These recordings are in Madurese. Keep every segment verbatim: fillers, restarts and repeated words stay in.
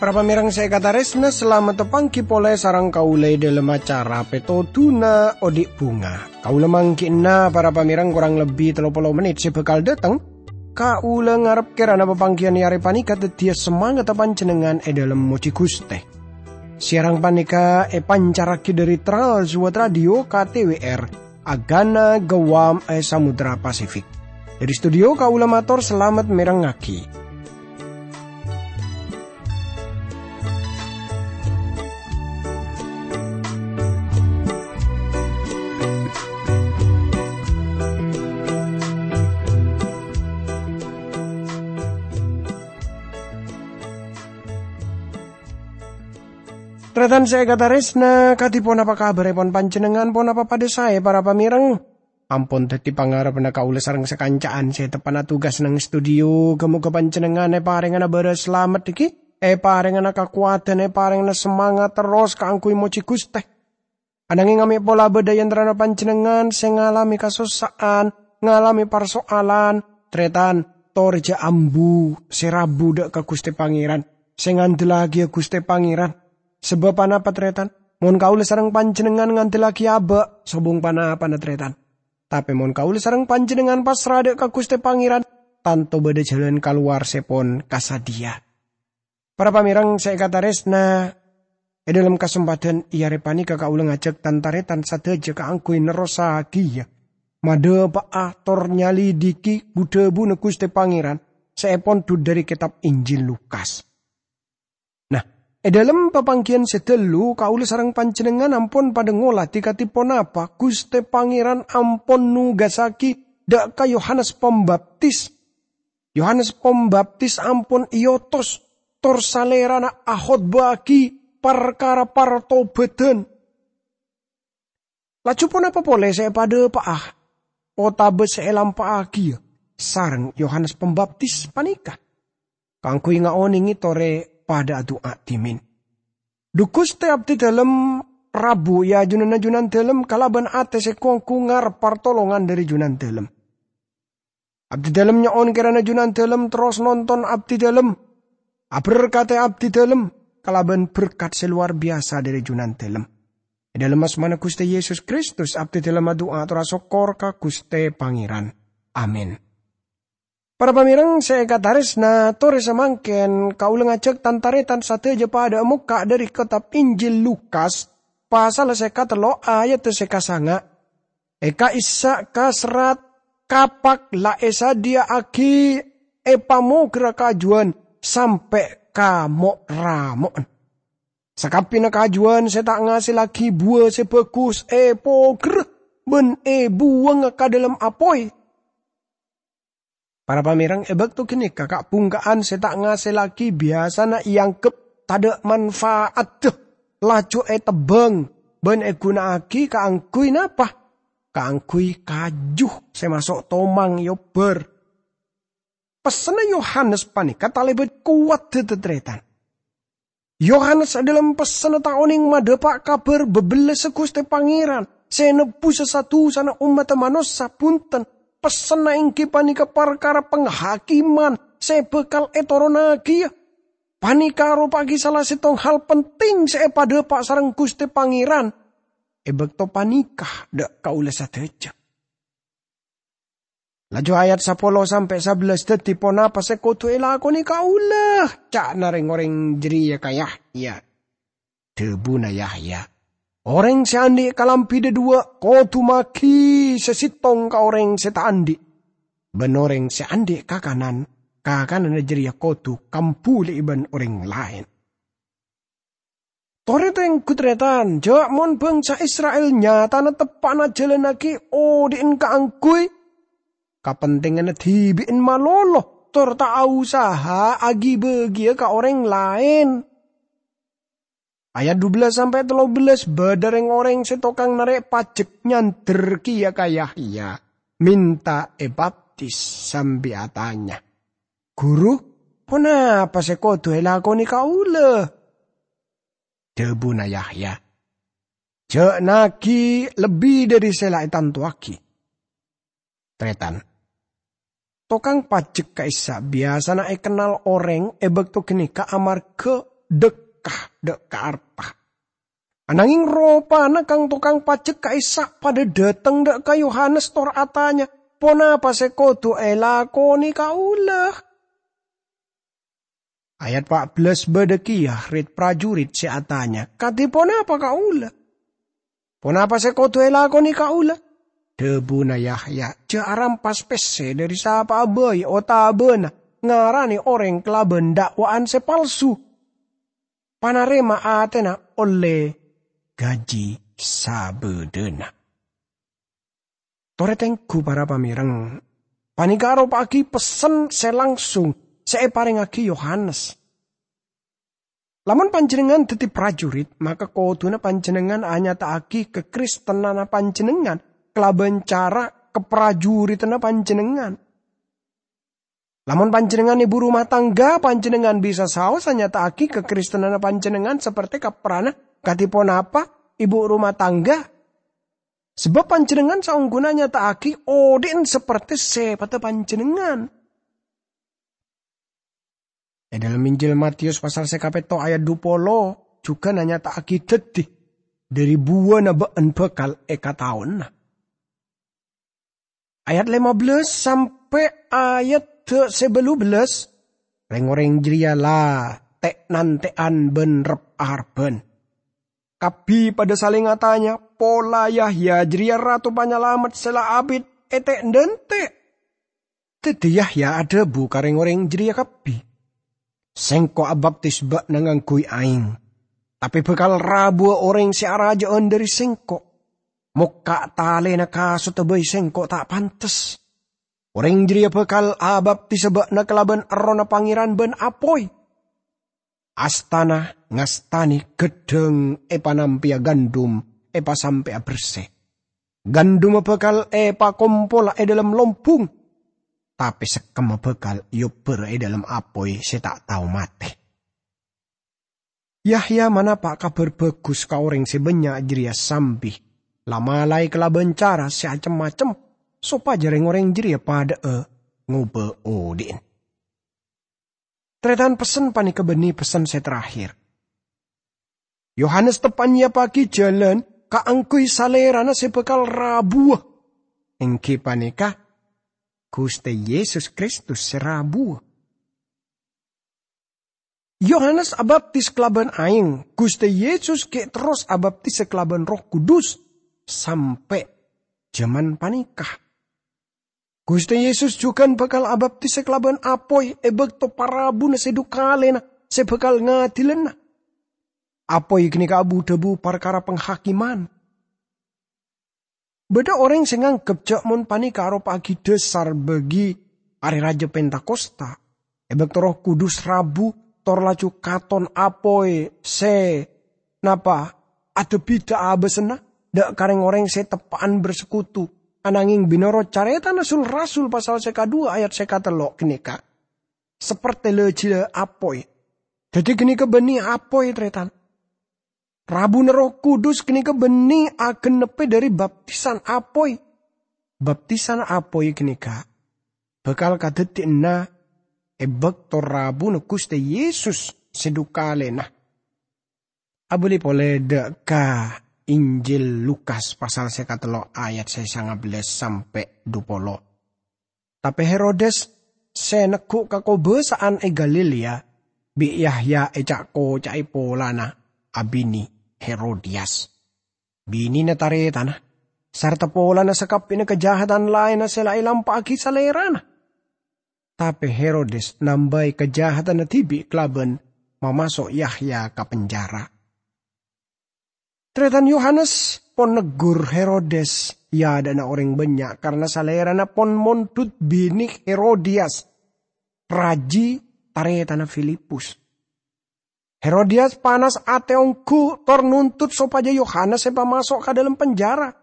Para pamèrèng sè èkatarèsna, salamet tapangghi polè sareng kaulâ è dhâlem acara Pètodhuna Odi' Bhunga. Kaulâ mangghi'na, para pamèrèng, korang lebbi tello polo mennit sè bhâkal dâteng. Kaulâ ngarep kèrana papangghiyân è arè panèka dhâddhiyâ samangetta panjhennengngan è dhâlem mojhi Ghustè. Siaran panèka èpancarraghi dhâri Trans World Radio K T W R, Agana Guam è Samudra Pasifik. Dhâri studio kaulâ mator salamet mèrengngaghi. Tarètan sè èkatarèsna, kadhi ponapa kabhârèpon panjhennengngan? Ponapa padhâ saè, para pamèrèng? Ampon dhâddhi pangarebbhâ kaulâ sareng sakanca'an sè teppa'na tugas neng studio. Ghâ-mogâ panjhennengngan èparèngana bârâs salamet dhiggi', èparèngana kakowadhân, èparèngana samangat terros kaangghuy mojhi Ghustè. Ananghing amè' pola bâdâ è antarana panjhennengngan sè ngalamè kasossa'an, ngalamè parso'alan, tarètan, torè jhâ' ambu sè rabu dâ' ka Ghustè Pangèran, sè ngandellaghi Ghustè Pangèran. Sabâb ponapa, tarètan? Mon kaulâ sareng panjhennengngan ngandellaghi abâ', sobung ponapana, tarètan. Tapè mon kaulâ sareng panjhennengngan pasra dâ' ka Ghustè Pangèran, tanto bâdâ jhâlân kalowar sè pon kasadhiyâ. Para pamèrèng sè èkatarèsna, è dhâlem kasempadhân è arè panèka kaulâ ngajhâk tan-tarètan sadhâjâ kaangghuy nerrossaghiyâ, madhâpa'a tor nyalidhighi bu-dhâbuna Ghustè Pangèran sè èpondhut dhâri kètab Injil Lukas. Nah, è dhâlem papangghiyân sè dâllu, kaulâ sareng panjhennengngan ampon padhâ ngolatè kadhi ponapa Ghustè Pangèran ampon nugassaghi dâ' ka Yohanes Pambaptis. Yohanes Pambaptis ampon èotos, tor salèrana akhotbâ'âghi parkara partobhâdhân. Laju ponapa polè sè èpadhâpa'a otabâ sè èlampa'aghiyâ sareng Yohanes Pambaptis panèka? Kaangghuy ngaonèngè torè padhâ adu'a dhimèn. Dhu Ghustè, abdhidhâlem rabu è ajunanna Junandhâlem kalabân atè sè gu-onggu ngarep partolongan dhâri Junandhâlem. Abdhidhâlem nyo'on kèrana Junandhâlem terros nonton abdhidhâlem, aberkadhi abdhidhâlem kalabân berkat sè lowar biyasa dhâri Junandhâlem. È dhâlem asmana Ghustè Yesus Kristus, abdhidhâlem adu'a ator asokkor ka Ghustè Pangèran. Amin. Para pamèrèng sè èkatarèsna, torè samangkèn kaulâ ngajhâk tan-tarètan sadhâjâ padhâ mokka' dhâri kètab Injil Lukas, pasal sè katello' ayat sè kasanga'. È ka'issa' ka serrat kapak la èsadhiyâ'âghi èpamoghârâ kajuwân sampè' ka mo'-ramo'na. Sakabbhiyânna kajuwân sè ta' ngasellaghi buwâ sè bhâghus èpoghârâ bân èbuwângnga ka dhâlem apoy. Para pamèrèng, è bâkto ghânèka ka'-bhungka'an sè ta' ngasellaghi biyasana èangghep tadhâ' manfaatta, laju ètebbhâng bân èghuna'aghi kaangghuy napa? Kaangghuy kaju sè maso' tomang èobbhâr. Pessenna Yohanes panèka talèbât kowat, dhâddhi tarètan. Yohanes è dhâlem pessenna ta' onèng madhâpa' kabhâr bhâbhellâssa Ghustè Pangèran sè nebbhusa sa-dusana ommaddhâ manossa, bhunten, pessenna èngghi panèka parkara panghakèman sè bhâkal ètoronnaghiyâ. Panèka aropa'aghi sala sèttong hal penting sè èpadhâpa' sareng Ghustè Pangèran è bâkto panèka dâ' kaulâ sadhâjâ. Laju ayat sapolo sampè' sabellâs dhâddhi ponapa sè kodhu èlakonè kaulâ, ca'na rèng-orèng jârèya ka Yahya. Dhâbuna Yahya, "Orèng sè andi' kalambhi dhâduwâ' kodhu maghi sè sèttong ka orèng sè ta' andi', bân orèng sè andi' kakanan, kakananna jârèya kodhu kambhuli'i bân orèng laèn." Torè tèngghu tarètan, jhâ' mon bhângsa Isra'il nyatana teppa'na ajhâlannaghi odi'na kaangghuy kapentinganna dhibi'na malolo, tor ta' aosaha aghi-bâghiyâ ka orèng laèn. Ayat dubellâs sampè' tello bellâs, bâdâ rèng-orèng sè tokang narè' pajek nyandher kèya ka Yahya, mènta èbaptis sambi atanya, "Ghuru, ponapa sè kodhu èlakonè kaulâ?" Dhabuna Yahya, "Jhâ'naghi lebbi dhâri sè la ètantowaghi." Tarètan, tokang pajek ka'issa' biyasana èkennal orèng è bâkto ghânèka amarghâ dhâkka dhâ' ka arta. Anangèng ropana kang-tokang pajek ka'issa' padâ dhâteng dhâ' ka Yohanes tor atanya, "Ponapa sè kodhu èlakonè kaulâ?" Ayat pa' bellâs bâdâ kèya rit-parjurit sè atanya, "Kadhi ponapa kaulâ? Ponapa sè kodhu èlakonè kaulâ?" Dhabuna Yahya, "Jhâ' arampas pèssè dhâri sapa'a bhâi otabâna ngaranè orèng kalabân da'waan sè palsu. Panarèma atèna ollè ghâji sabâdâna." Torè tengghu, para pamèreng, panèka aropa'aghi pessen sè langsung sè èparèngaghi Yohanes. Lamon panjhennengngan dhâddhi prajurit, maka kodhuna panjhennengngan anyata'aghi kakristenanna panjhennengngan kalabân cara kaprajuritanna panjhennengngan. Lamon panjhennengngan èbhu rumah tangga, panjhennengngan bisa saos anyata'aghi kakristenanna panjhennengngan saperte kaprana kadhi ponapa èbhu rumah tangga. Sabâb panjhennengngan saongghuna nyata'aghi odhi'na saperte sèpadhâ panjhennengngan. È dhâlem Injil Matius pasal sè kapètto ayat dhu polo jhughân anyata'aghi dhâddhi, "Dhâri buwâna bâ'ân bhâkal èkataona." Ayat lèma bellâs sampè' ayat sè bâllu bellâs, rèng-orèng jârèya la tè'-nantè'an bân rep-arebbhân. Kabbhi padhâ salèng atanya, "Pola Yahya jârèya Rato Panyalamet sè la abit ètè'-dântè'?" Dhâddhi Yahya adhâbu ka rèng-orèng jârèya kabbhi, "Sèngko' abaptis bâ'na ngangghuy aèng, tapè bhâkal rabuwâ orèng sè arajâ'ân dhâri sèngko'. Mokka' talèna kasotta bhâi sèngko' ta' pantes. Orèng jârèya bhâkal abaptisa bâ'na kalabân Errohna Pangèran bân apoy. Astana ngastanè ghâddhâng èpanampèya gandum èpasampè'a bersè. Gandumma bhâkal èpakompola è dhâlem lombung, tapè sekkemma bhâkal èobbhârâ è dhâlem apoy sè ta' tao matè." Yahya manapa' Kabhâr Bhâghus ka orèng sè bânnya' jârèya sambi la malaè kalabân cara sè acem-macem, sopajâ rèng-orèng jârèya padhâ'â ngobâ odhi'na. Tarètan, pessen panèka bânnè pessen sè terakhir. Yohanes teppa'na nyèyappaghi jhâlân kaangghuy Salèrana sè bhâkal rabuwâ, èngghi panèka Ghustè Yesus Kristus sè rabuwâ. Yohanes abaptis kalabân aèng, Ghustè Yesus ghi' terros abaptisa kalabân Erroh Kudus sampè' jhâman panèka. Ghustè Yesus jhughân bhâkal abaptisa kalabân apoy è bâkto parabuna sè dhu kalèna sè bhâkal ngadilana. Apoy ghânèka abu-dhâbu parkara panghakimman. Bâdâ orèng sè nganggep jhâ' mon panèka aropa'aghi dhâsar bâgi Arè Rajâ Pentakosta, è bâkto Erroh Kudus rabu, tor laju katon apoy sè napa adhâbhidhâ abâsanna dâ' ka rèng-orèng sè teppa'an bersekutu, anangèng binonorot carètana Sul-rasul pasal sè kadhuwâ ayat sè katello' ghânèka, saperte la-jhâlâ apoy. Dhâddhi ghânèka bânnè apoy, tarètan. Rabuna Erroh Kudus ghânèka bânnè agennebbhi dhâri baptisan apoy. Baptisan apoy ghânèka bhâkal kadhâddhiyânna è bâkto rabuna Ghustè Yesus sè dhu kalèna. Abâli polè dâ' ka Injil Lukas pasal sè katello' ayat sè sanga bellâs sampè' dhu polo. Tapè Herodes sè neggu' kakobâsa'an è Galilea bi' Yahya èca'-koca'è polana abinè Herodiyas, binèna tarètanna, sarta polana sakabbhiyânna kajahadan laènna sè la èlampa'aghi salèrana. Tapè Herodes nambâi kajahadanna dhibi' kalabân mamaso' Yahya ka penjara. Tarètan, Yohanes pon neggur Herodes è adâ'na orèng bânnya' karana salèrana pon mondhut binè Herodiyas, raji tarètanna Filipus. Herodiyas panas atè ongghu tor nuntut sopajâ Yohanes èpamaso' ka dhâlem penjara.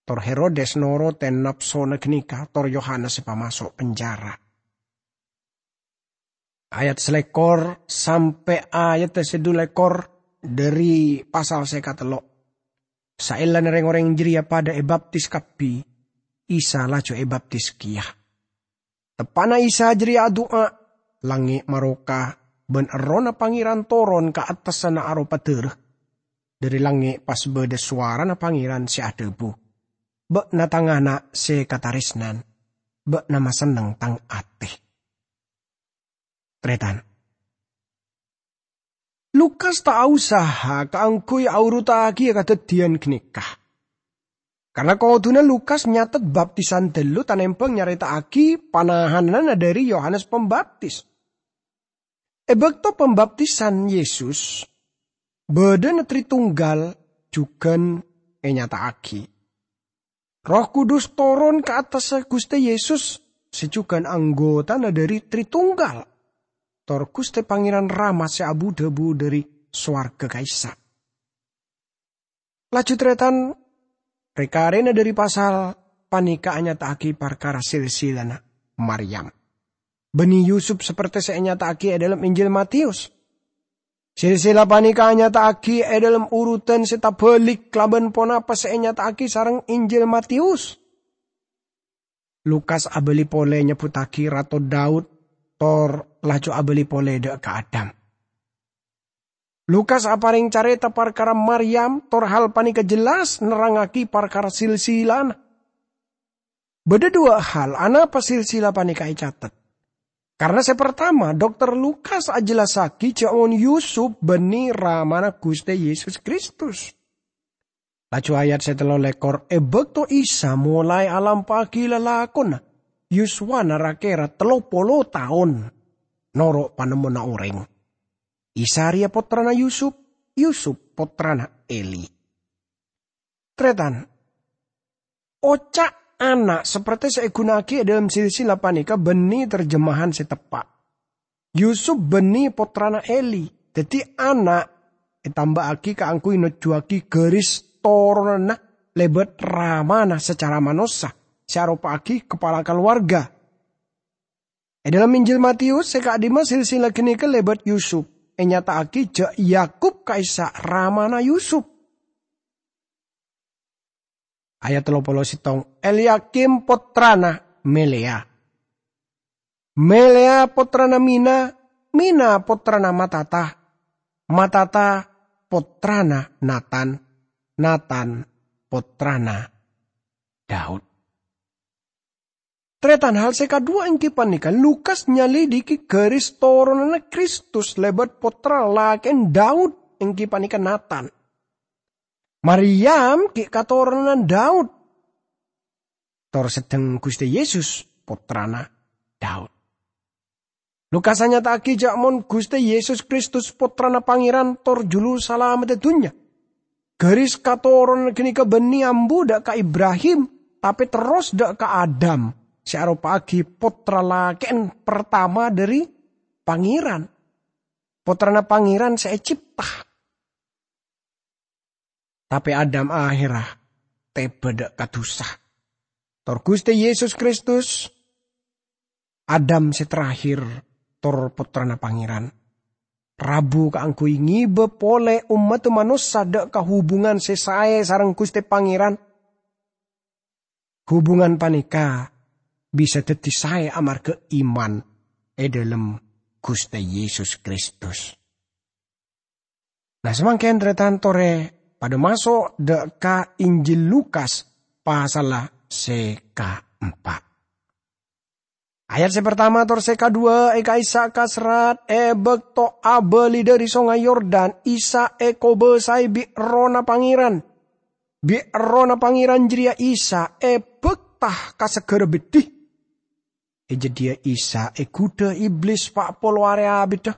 Tor Herodes norotè napsona ghânèka, tor Yohanes èpamaso' penjara. Ayat salèkor sampè' ayat sè dhu lèkor, dhâri pasal sè katello'. Saellana rèng-orèng jârèya padâ èbaptis kabbhi, Isa laju èbaptis kèya. Teppa'na Isa jârèya adu'a, langngè' maroka, bân Errohna Pangèran toron ka attassanna aropa dârâ. Dhâri langngè' pas bâdâ sowarana Pangèran sè adhâbu, "Bâ'na Tang Ana' sè katarèsnan, bâ'na masenneng Tang atè." Tarètan. Lukas ta' ausaha kaangghuy aurutaghiyâ kadhâddhiyân ghânèka. Karna kodhuna Lukas nyatet baptisan ghâllu tanèmbhâng nyarèta'aghi panahananna dhâri Yohanes Pambaptis. È bâkto pambaptisan Yesus, bâdâna Tritunggal jhughân ènyata'aghi. Erroh Kudus toron ka attassa Ghustè Yesus sè jhughân anggotana dhâri Tritunggal, tor Ghustè Pangèran Rama sè abu-dhâbu dhâri sowarghâ ka'issa'. Laju tarètan, rè-karèna dhâri pasal panèka anyata'aghi parkara silsilana Maryam bânnè Yusup, sapertè sè ènyata'aghi è dhâlem Injil Matèus. Silsila panèka anyata'aghi è dhâlem urutan sè tabhâlik kalabân ponapa sè ènyata'aghi sareng Injil Matèus. Lukas abâli polè nyebbhuttaghi Rato Daud, tor laju abâli polè dhâ' ka Adam. Lukas aparèng carèta parkara Maryam, tor hal panèka jelas nerrangngaghi parkara silsilana. Bâdâ duwâ' hal anapa silsila panèka ècatet. Karna sè partama, Dokter Lukas ajellassaghi jhâ' mon Yusup bânnè ramana Ghustè Yesus Kristus. Laju ayat sè tello lèkor, è bâkto Isa molaè alampa'aghi lalakonna, yuswana ra-kèra tello polo taon, noro' panemmona orèng. Isa rèya pottrana Yusup, Yusup pottrana Eli. Tarètan, oca' ana' sapertè sè èghuna'aghi è dhâlem silsila panèka bânnè terjemahan sè teppa'. Yusup bânnè pottrana Eli, dhâddhi ana' ètambâ'aghi kaangghuy nojjhuwâghi garis toronanna lèbât ramana sacara manossa, sè aropa'aghi kapala kalowarga. È dhâlem Injil Matèus sè ka'dimma silsila ghânèka lèbât Yusup, ènyata'aghi jhâ' Yakub ka'issa' ramana Yusup. Ayat tello polo sèttong, Elyakim pottrana Melea. Melea pottrana Mina, Mina pottrana Matata, Matata pottrana Natan, Natan pottrana Daud. Tarètan, hal sè kaduwâ' èngghi panèka Lukas nyalidiki garis toronanna Kristus lèbât pottra lakè'en Daud, èngghi panèka Natan. Maryam ghi' katoronan Daud. Tor seddheng Ghustè Yesus pottrana Daud. Lukas anyata'aghi jhâ' mon Ghustè Yesus Kristus Pottrana Pangèran tor Juru Salameddhâ dhunnya. Garis katoronan ghânèka bânnè ambu dhâ' ka Ibrahim, tapè terros dhâ' ka Adam, sè aropa'aghi pottra lakè'en partama dhâri Pangèran, Pottrana Pangèran sè ècèpta. Tapè Adam ahèrra tèbâ dhâ' ka dhusa. Tor Ghustè Yesus Kristus, Adam sè terakhir, tor Pottrana Pangèran, rabu kaangghuy ngèbâ polè ommaddhâ manossa dhâ' ka hubungan sè saè sareng Ghustè Pangèran. Hubungan panèka bisa dhâddhi saè amarghâ iman è dhâlem Ghustè Yesus Kristus. Nah, samangkèn, tarètan, torè padâ maso' dhâ' ka Injil Lukas pasalla sè kaempa'. Ayat sè partama tor sè kaduwâ' è ka'issa' kaserrat, è bâkto abâli dhâri Songay Yordan, Isa èkobâsaè bi' Errohna Pangèran. Bi' Errohna Pangèran jârèya Isa èbâkta ka saghârâ beddhi. È jâdiyâ Isa èghudhâ Iblis pa' polo arè abiddhâ.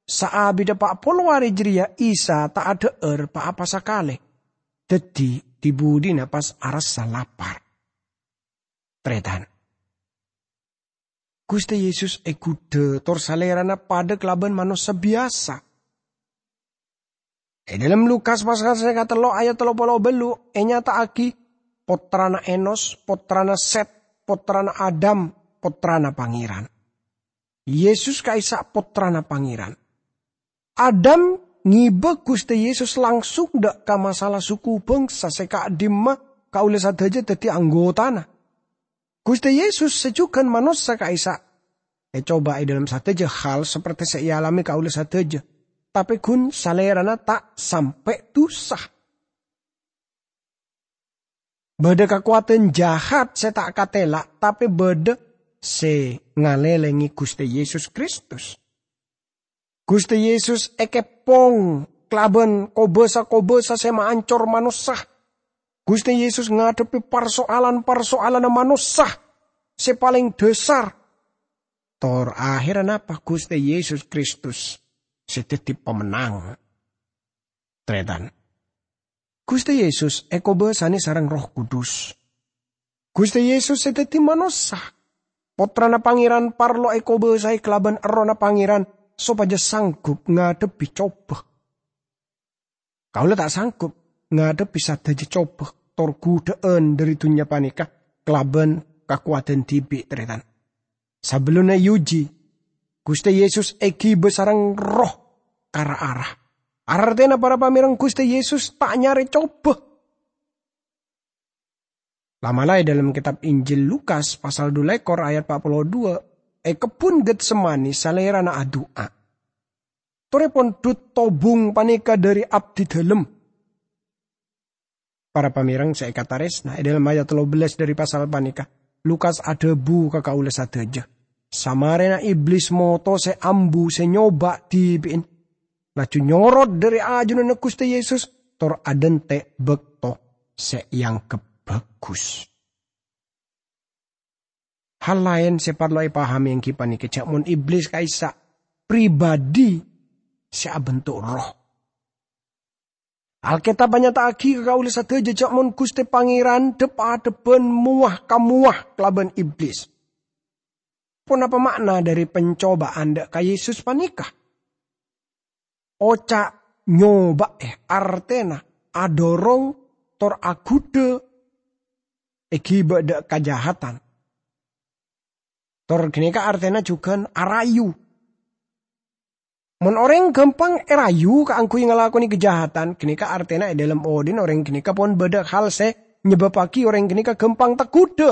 Saabiddhâ pa' polo arè jârèya Isa ta' adhâ'âr pa-apa sakalè. Dhâddhi, dhi-budhina pas arassa lapar. Tarètan. Ghustè Yesus èghudhâ tor Salèrana padâ kalabân manossa biyasa. È dhâlem Lukas pasal sè katello' ayat tello polo bâllu' ènyata'aghi pottrana Enos, pottrana Sèt, pottrana Adam, pottrana Pangèran. Yesus ka'issa' pottrana Pangèran. Adam ngibâ Ghustè Yesus langsung dâ' ka masalah suku bhângsa sè ka'dimma kaulâ sadhâjâ dhâddhi anggotana. Ghustè Yesus sè jhughân manossa ka'issa' ècoba è dhâlem sadhâjâ hal saperte sè èalamè kaulâ sadhâjâ, tapè ghun Salèrana ta' sampè' dusa. Bâdâ kakowadhân jahat sè ta' katèla', tapè bâdâ sè ngalèlèngè Ghustè Yesus Kristus. Ghustè Yesus èkèpong kalabân kobâsa-kobâsa sè maancor manossa. Ghustè Yesus ngadhebbhi parsoalan-parsoalanna manossa sè palèng dhâsar. Tor aherra napa? Ghustè Yesus Kristus sè dhâddhi pamennang. Tarètan. Ghustè Yesus èkobâsanè sareng Erroh Kudus. Ghustè Yesus sè dhâddhi manossa, Pottrana Pangèran parlo èkobâsaè kalabân Errohna Pangèran sopajâ sanggup ngadhebbhi cobâ. Kaulâ ta' sanggup ngadhebbhi sadhâjâ cobâ tor ghudhâ'ân dhâri dhunnya panèka kalabân kakowadhân dhibi', tarètan. Sabellunna èuji, Ghustè Yesus èghibâ sareng Erroh ka ra-ara. Artèna para pamèreng Ghustè Yesus ta' nyarè cobâ. La'-mala' è dhâlem kètab Injil Lukas pasal dhu lèkor ayat pa' polo dhuwâ', è kebbhun Getsemani Salèrana adu'a. "Torè pondhut tobung panèka dhâri abdidhâlem." Para pamèreng sè èkatarèsna, è dhâlem ayat tello bellâs dhâri pasal panèka, Lukas adhâbu ka kaulâ sadhâjâ, samarèna Iblis motosè ambu sè nyoba dhibi'en, laju nyorot dhâri ajunanna Ghustè Yesus, tor adhânte' bâkto sè èangghep bhâghus. Hal laèn sè parlo èpahamè èngghi panèka jhâ' mon Iblis ka'issa' pribadi sè abentuk roh. Alkètab anyata'aghi ka kaulâ sadhâjâ jhâ' mon Ghustè Pangèran dhep-adhebbhân mowa-kamowa kalabân Iblis. Ponapa ma'na dhâri pancobâ'ân dâ' ka Yesus panèka? Oca' nyobâ'è artèna adhârong tor aghudhâ èghibâ dâ' kajahatan. Tor ghânèka artèna jhughân arayu. Mon orèng ghâmpang èrayu kaangghuy ngalakonè kajahatan, ghânèka artèna è dhâlem odhi'na orèng ghânèka pon bâdâ hal sè nyebâbbhâghi orèng ghânèka ghâmpang taghudhâ.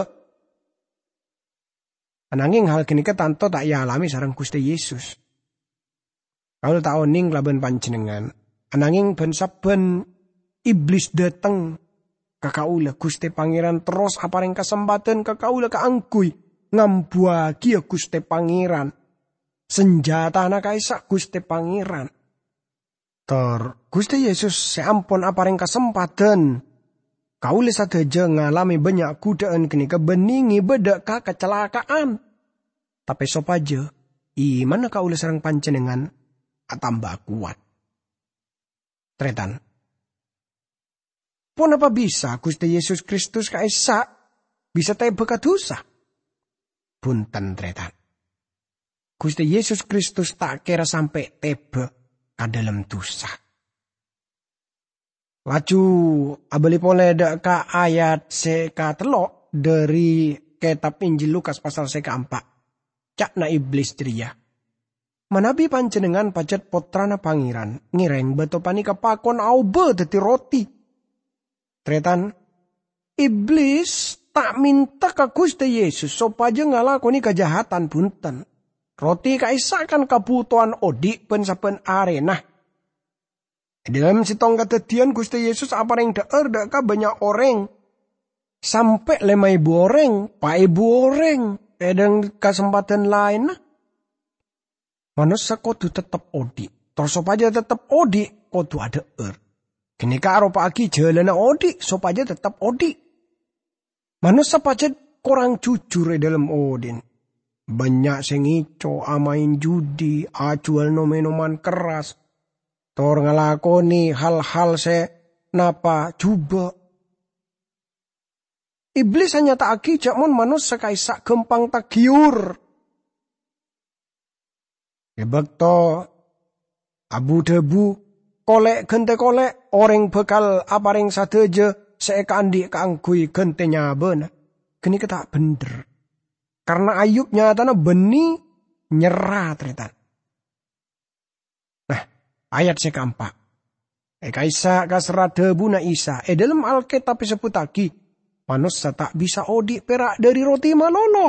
Anangèng hal ghânèka tanto ta' èalamè sareng Ghustè Yesus. Kaulâ ta' onèng kalabân panjhennengngan, anangèng bân-sabbhân Iblis dâteng ka kaulâ, Ghustè Pangèran terros aparèng kasempadhân ka kaulâ kaangghuy ngambuwâghiyâ Ghustè Pangèran, sanjhâtana ka'issa' Ghustè Pangèran. Tor Ghustè Yesus sè ampon aparèng kasempadhân kaulâ sadhâjâ ngalamè bânnya' ghudhâ'ân ghânèka bânnè ngibâ dâ' ka kacalaka'an. Tapè sopajâ imanna kaulâ sareng panjhennengngan atamba kowat. Tarètan. Ponapa bisa Ghustè Yesus Kristus ka'issa' bisa tèbâ ka dusa? Bhunten, tarètan. Ghustè Yesus Kristus ta' kèra sampè' tèbâ ka dhâlem dusa. Laju abâli polè dâ' ka ayat sè katello' dhâri kètab Injil Lukas pasal sè kaempa'. Ca'na Iblis jârèya, "Manabi panjhennengngan pajhât Pottrana Pangèran, ngèrèng bâto panèka pakon aobâ dhâddhi roti." Tarètan, Iblis ta' mènta ka Ghustè Yesus sopajâ ngalakonè kajahatan, bhunten. Roti ka'issa' kan kabhutowan odhi' bân-sabbhân arèna. È dhâlem sèttong kadhâddhiyân, Ghustè Yesus aparèng dhâ'âr dâ' ka bânnya' orèng. Sampè' lèma èbu orèng, pa èbu orèng, è dhâlem kasempadhân laènna. Manossa kodhu teptep odhi'. Tor sopajâ teptep odhi', kodhu adhâ'âr. Ghânèka aropa'aghi jhâlânna odhi' sopajâ teptep odhi'. Manossa pajhât korang jujur è dhâlem odhi'na. Bânnya' sè ngèco, amaèn judi, ajhuwâl nom-ènoman kerras, tor ngalakonè hal-hal sè napa jhubâ'. Iblis anyata'aghi jhâ' mon manossa ka'issa' ghâmpang tagiyur. È bâkto abu-dhâbu, "Kolè' ghântè kolè', orèng bhâkal aparèng sadhâjâ sè èkaandhi' kaangghuy ghântè nyabâna," ghânèka ta' bhendher. Karna Ayub nyatana bânnè nyerra, tarètan. Nah, Ayat sè kaempa'. È ka'issa' kaserra dhâbuna Isa, è dhâlem Alkètab èsebbhuttaghi, "Manossa ta' bisa odi' pèra' dhâri roti malolo."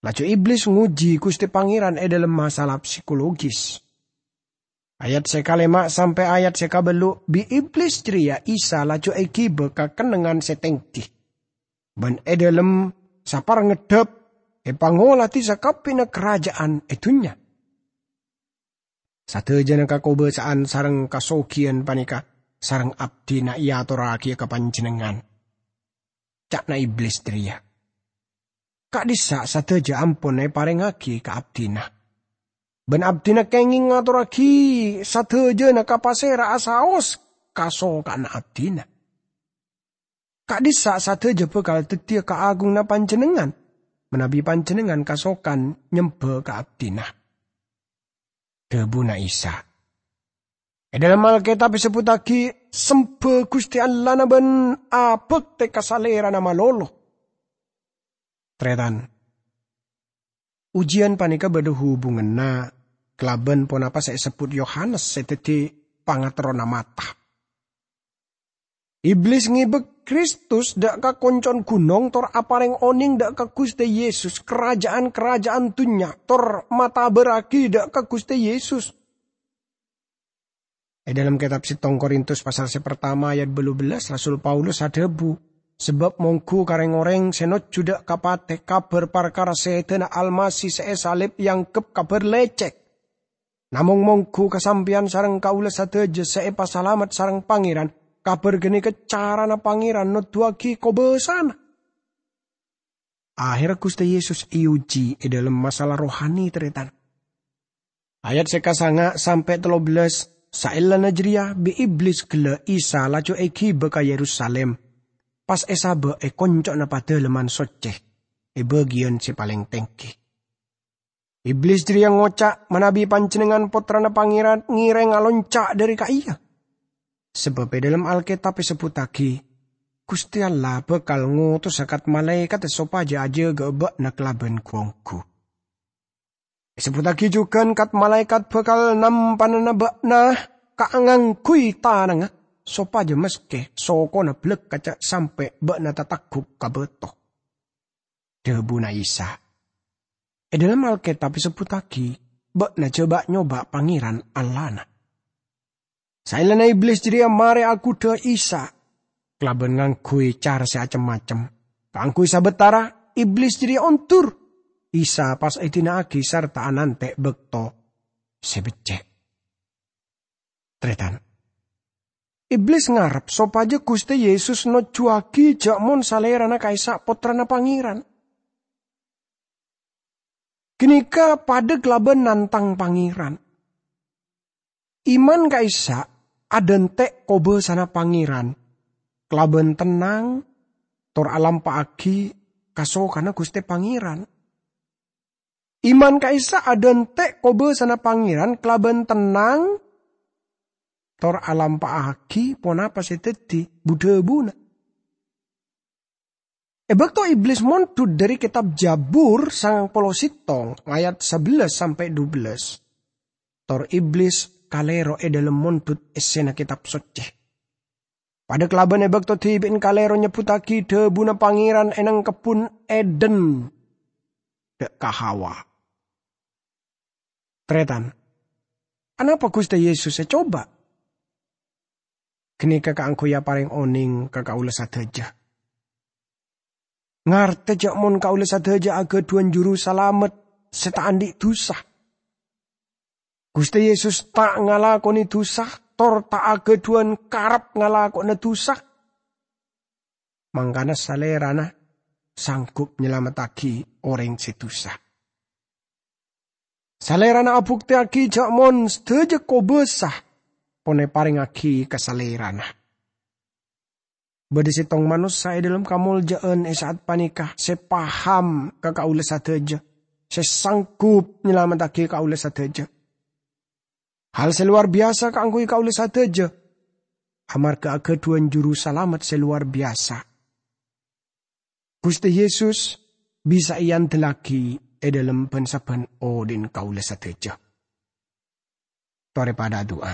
Laju Iblis ngojhi Ghustè Pangèran è dhâlem masalah psikologis. Ayat sè kalèma' sampè' ayat sè kabâllu', bi' Iblis jârèya Isa laju èghibâ ka kennengngan sè tèngghi, bân è dhâlem saparngeddhâp èpangoladhi sakabbhiyânna karaja'an è dhunnya. "Sadhâjâna kakobâsa'an sareng kasoghiyân panèka sareng abdhina èatorraghiyâ ka panjhennengngan," ca'na Iblis jârèya. "Ka'dhissa' sadhâjâ ampon èparèngaghi ka abdhina. Bân abdhina kèngèng ngatorraghi sadhâjâna ka pasèra'a saos kasoka'anna abdhina. Ka'dhissa' sadhâjâ bhâkal dhâddhiyâ kaagunganna panjhennengngan, manabi panjhennengngan kasokan nyembhâ ka abdhina." Dhâbuna Isa, "È dhâlem Alkètab èsebbhuttaghi, 'Sembhâ Ghustè Allahna bân abhâktè ka Salèrana malolo.'" Tarètan, ojiyân panèka bâdâ hubunganna kalabân ponapa sè èsebbhut Yohanes sè dhâddhi pangaterrona mata. Iblis ngèbâ Kristus dâ' ka konco'na ghunong tor aparèng onèng dâ' ka Ghustè Yesus, karaja'an-karaja'an dhunnya tor matabârraghi dâ' ka Ghustè Yesus. È dhâlem kètab sèttong Korintus pasal sè partama ayat bâllu bellâs, Rasul Paulus adhâbu, "Sabâb mongghu ka rèng-orèng sè nojjhu dâ' ka patè kabhâr parkara sèdhâna Almasih sè èsalib èangghep kabhâr lècèk. Namong mongghu ka sampèyan sareng kaulâ sadhâjâ sè èpasalamet sareng Pangèran, kabhâr ghânèka carana Pangèran noddhuwâghi kobâsana." Ahèrra Ghustè Yesus èojhi è dhâlem masalah rohani, tarètan. Ayat sè kasanga' sampè' tello bellâs, saellana jârèya bi' Iblis ghellâ' Isa laju èghibâ ka Yerusalim, pas èsabâ' è konco'na Padâlemman Soccè, è bâgiyân sè palèng tèngghi. Iblis jârèya ngoca', "Manabi panjhennengngan Pottrana Pangèran, ngèrèng alonca' dâri ka'iyâ. Sabâb è dhâlem Alkètab èsebbhuttaghi, 'Ghustè Allah bhâkal ngotosa kat-malaèkat sopajâ ajâgâ'â bâ'na kalabân gu-onggu.' Èsebbhuttaghi jhughân kat-malaèkat bhâkal nampanana bâ'na kaangghuy tanangnga, sopajâ maskè sokona bâlâkka' ca' sampè' bâ'na tatagghup ka bâto." Dhâbuna Isa, "È dhâlem Alkètab èsebbhuttaghi, 'Bâ'na jhâ' ba'-nyoba' Pangèran Allahna.'" Saellana Iblis jârèya marè aghudhâ Isa kalabân ngangghuy cara sè cem-macem. Kaangghuy sabâtara, Iblis jârèya ondur. Isa pas èdina'aghi sarta anantè' bâkto sè beccè'. Tarètan, Iblis ngarep sopajâ Ghustè Yesus nojjhuwâghi jâ' mon Salèrana ka'issa' Pottrana Pangèran. Ghânèka padâ kalabân nantang Pangèran. Iman ka'issa' adhânte' kobâsana Pangèran kalabân tennang tor alampa'aghi kasokanna Ghustè Pangèran. Iman ka'issa' adhânte' kobâsana Pangèran kalabân tennang tor alampa'aghi ponapa sè dhâddhi bu-dhâbuna. È bâkto Iblis mondhut dâri kètab Jabur sangang polo sèttong ayat sabellâs sampè' dubellâs, tor Iblis kalèro è dhâlem mondhut èssèna Kètab Soccè. Padâ kalabân è bâkto dhibi'en kalèro nyebbhuttaghi dhâbuna Pangèran è neng kebbhun Eden dâ' ka Hawa. Tarètan, anapa Ghustè Yesus ècoba? Ghânèka kaangghuy aparèng onèng ka kaulâ sadhâjâ. Ngartè jâ' mon kaulâ sadhâjâ aghâdhuwân Juru Salamet sè ta' andi' dhusa. Ghustè Yesus ta' ngalakonè dhusa, tor ta' aghâdhuwân karep ngalako'ana dhusa. Mangkana Salèrana sanggup nyalamettaghi orèng sè dhusa. Salèrana abuktèyaghi jâ' mon sadhâjâ kobâsa pon èparèngaghi ka Salèrana. Bâdâ sèttong manossa è dhâlem kamolja'an è sa'at panèka sè paham ka kaulâ sadhâjâ, sè sanggup nyalamettaghi kaulâ sadhâjâ. Hal sè lowar biyasa kaangghuy kaulâ sadhâjâ, amarghâ aghâdhuwân Juru Salamet sè lowar biyasa. Ghustè Yesus bisa èandellaghi è dhâlem bân-sabbhân odhi'na kaulâ sadhâjâ. Torè padhâ adu'a.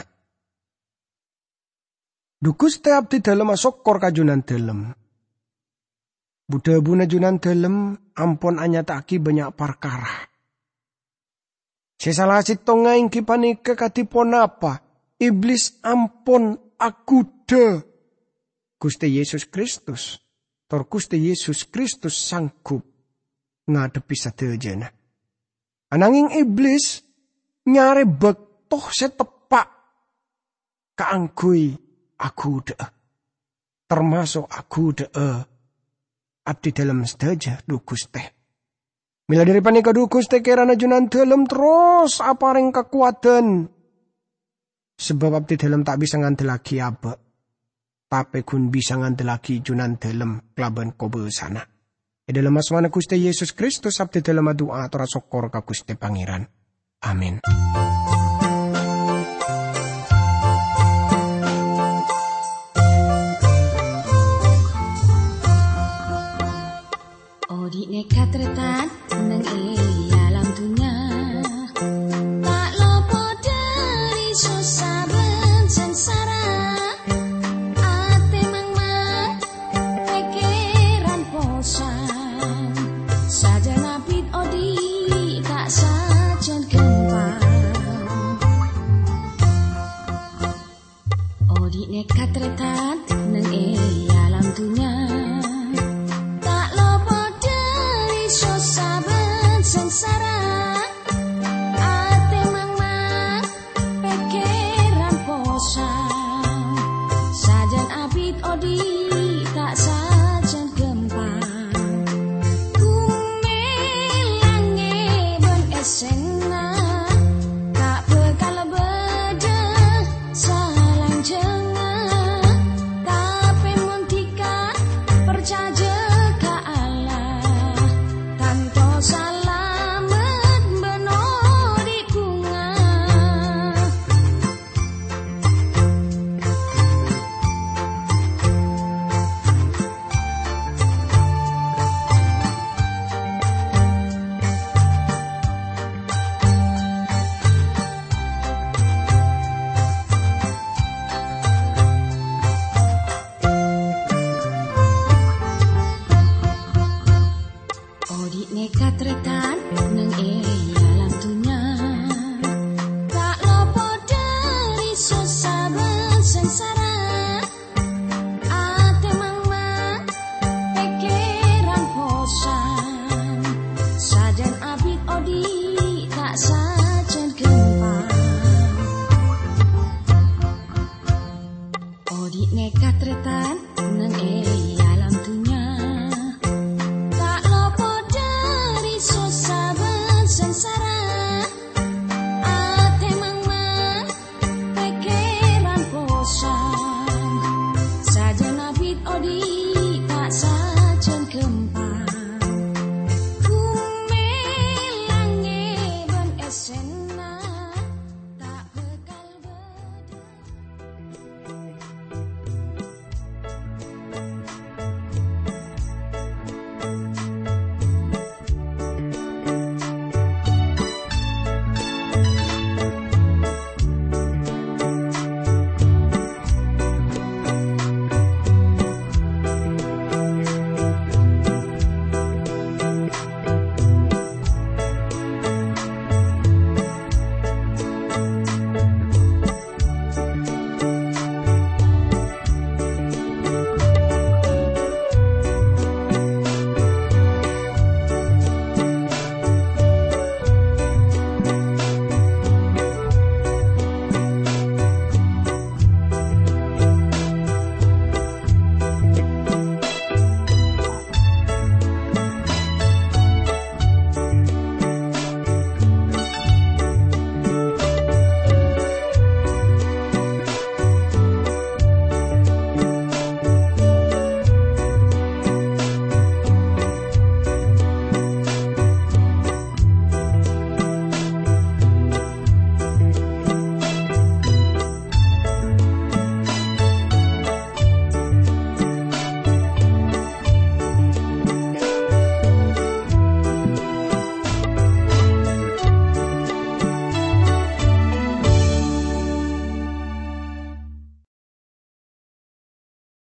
Dhu Ghustè, abdhidhâlem asokkor ka Jhunandhâlem. Bu-dhâbuna Jhunandhâlem ampon anyata'aghi bânnya' parkara. Sè sala sèttongnga èngghi panèka kadhi ponapa Iblis ampon aghudhâ Ghustè Yesus Kristus, tor Ghustè Yesus Kristus sanggup ngadhebbhi sadhâjâna. Ananghing Iblis nyarè bâkto sè teppa' kaangghuy aghudhâ'â, tamaso' aghudhâ'â abdhidhâlem sadhâjâ, dhu Ghustè. Mèla dhâri panèka, dhu Ghustè, kèrana Jhunandhâlem terros aparèng kakowadhân, sabâb abdhidhâlem ta' bisa ngandellaghi abâ', tapè ghun bisa ngandellaghi Jhunandhâlem kalabân kobâsana. È dhâlem asmana Ghustè Yesus Kristus, abdhidhâlem adu'a ator asokkor ka Ghustè Pangèran. Amin. Odi' nèka tarètan neng è alam dunnya, ta' lopot dhâri sossa bân sangsara. Atè mangmang, pèkkèran posan, sajân abit odi' ta' sajân ghâmpang. Odi' nèka tarètan neng è